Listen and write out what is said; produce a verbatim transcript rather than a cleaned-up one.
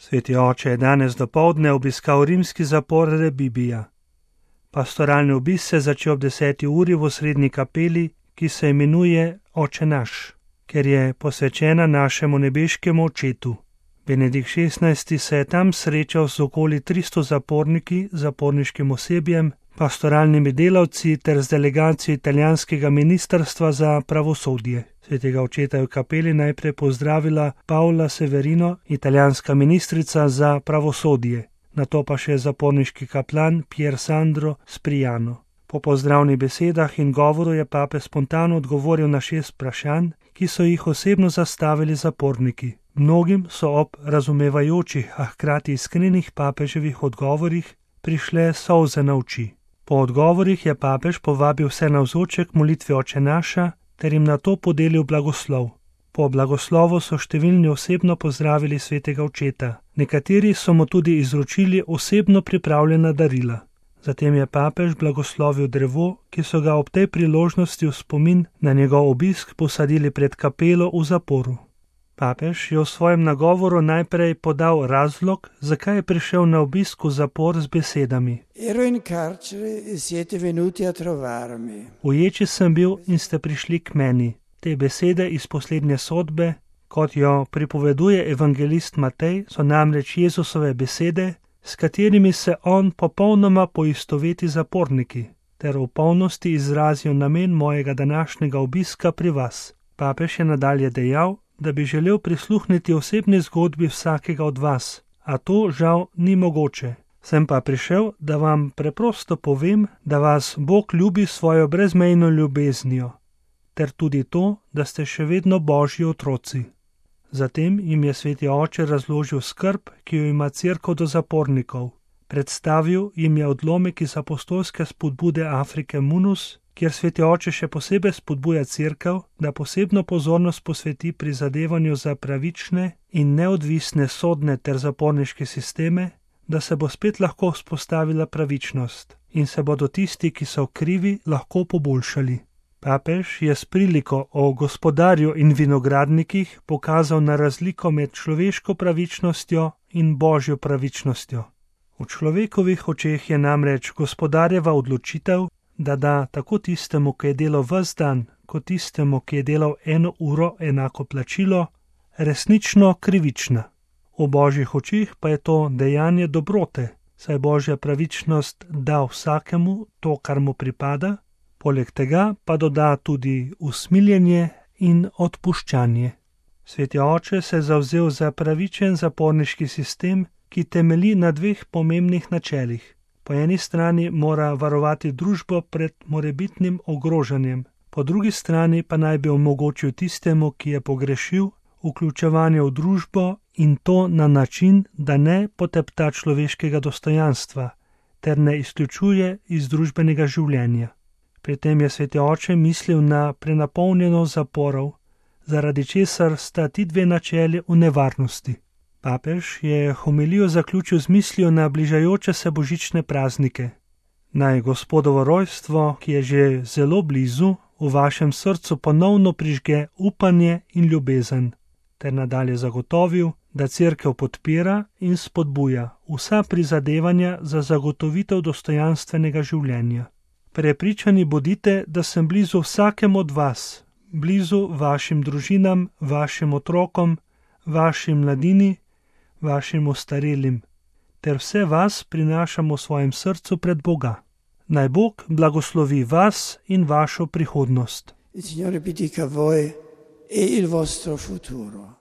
Sveti oče je danes dopoldne obiskal rimski zapor Rebibbia. Pastoralni obisk se začel ob deseti uri v osrednji kapeli, ki se imenuje Oče naš, ker je posvečena našemu nebeškemu očetu. Benedikt šestnajsti se je tam srečal z okoli tristo zaporniki, zaporniškim osebjem, pastoralnimi delavci ter z delegacijo italijanskega ministrstva za pravosodje. Svetega očeta je v kapeli najprej pozdravila Paola Severino, italijanska ministrica za pravosodje, nato pa še zaporniški kaplan Pier Sandro Spriano. Po pozdravnih besedah in govoru je papež spontano odgovoril na šest vprašanj, ki so jih osebno zastavili zaporniki. Mnogim so ob razumevajočih, a hkrati iskrenih papeževih odgovorih prišle solze na oči. Po odgovorih je papež povabil vse navzoče k molitvi Oče naša ter jim nato podelil blagoslov. Po blagoslovu so številni osebno pozdravili svetega očeta, nekateri so mu tudi izročili osebno pripravljena darila. Zatem je papež blagoslovil drevo, ki so ga ob tej priložnosti v spomin na njegov obisk posadili pred kapelo v zaporu. Papež je v svojem nagovoru najprej podal razlog, zakaj je prišel na obisk v zapor z besedami: Ero in carcere e siete venuti a trovarmi. Uječi sem bil in ste prišli k meni. Te besede iz poslednje sodbe, kot jo pripoveduje evangelist Matej, so namreč Jezusove besede, s katerimi se on popolnoma poistoveti zaporniki, ter v polnosti izrazijo namen mojega današnjega obiska pri vas. Papež je nadalje dejal, da bi želel prisluhniti osebni zgodbi vsakega od vas, a to žal ni mogoče. Sem pa prišel, da vam preprosto povem, da vas Bog ljubi svojo brezmejno ljubeznijo, ter tudi to, da ste še vedno Božji otroci. Zatem jim je sveti oče razložil skrb, ki jo ima cerkev do zapornikov. Predstavil jim je odlomek iz apostolske spodbude Afrike Munus, kjer sveti oče še posebej spodbuja cerkev, da posebno pozornost posveti prizadevanju za pravične in neodvisne sodne ter zaporniške sisteme, da se bo spet lahko vzpostavila pravičnost in se bodo tisti, ki so krivi, lahko poboljšali. Papež je s priliko o gospodarju in vinogradnikih pokazal na razliko med človeško pravičnostjo in božjo pravičnostjo. V človekovih očeh je namreč gospodarjeva odločitev, da da tako tistemu, ki je delal ves dan, kot tistemu, ki je delal eno uro, enako plačilo, resnično krivična. V božjih očeh pa je to dejanje dobrote, saj božja pravičnost da vsakemu to, kar mu pripada, poleg tega pa doda tudi usmiljenje in odpuščanje. Sveti oče se je zavzel za pravičen zaporniški sistem, ki temelji na dveh pomembnih načelih. Po eni strani mora varovati družbo pred morebitnim ogrožanjem, po drugi strani pa naj bi omogočil tistemu, ki je pogrešil, vključevanje v družbo in to na način, da ne potepta človeškega dostojanstva ter ne izključuje iz družbenega življenja. Pri tem je sveti oče mislil na prenapolnjenost zaporov, zaradi česar sta ti dve načeli v nevarnosti. Papež je homilijo zaključil z mislijo na bližajoče se božične praznike. Naj Gospodovo rojstvo, ki je že zelo blizu, v vašem srcu ponovno prižge upanje in ljubezen, ter nadalje zagotovil, da cerkev podpira in spodbuja vsa prizadevanja za zagotovitev dostojanstvenega življenja. Prepričani bodite, da sem blizu vsakemu od vas, blizu vašim družinam, vašim otrokom, vaši mladini, vašim ostarelim, ter vse vas prinašam v svojem srcu pred Boga. Naj Bog blagoslovi vas in vašo prihodnost. Il Signore benedica voi e il vostro futuro.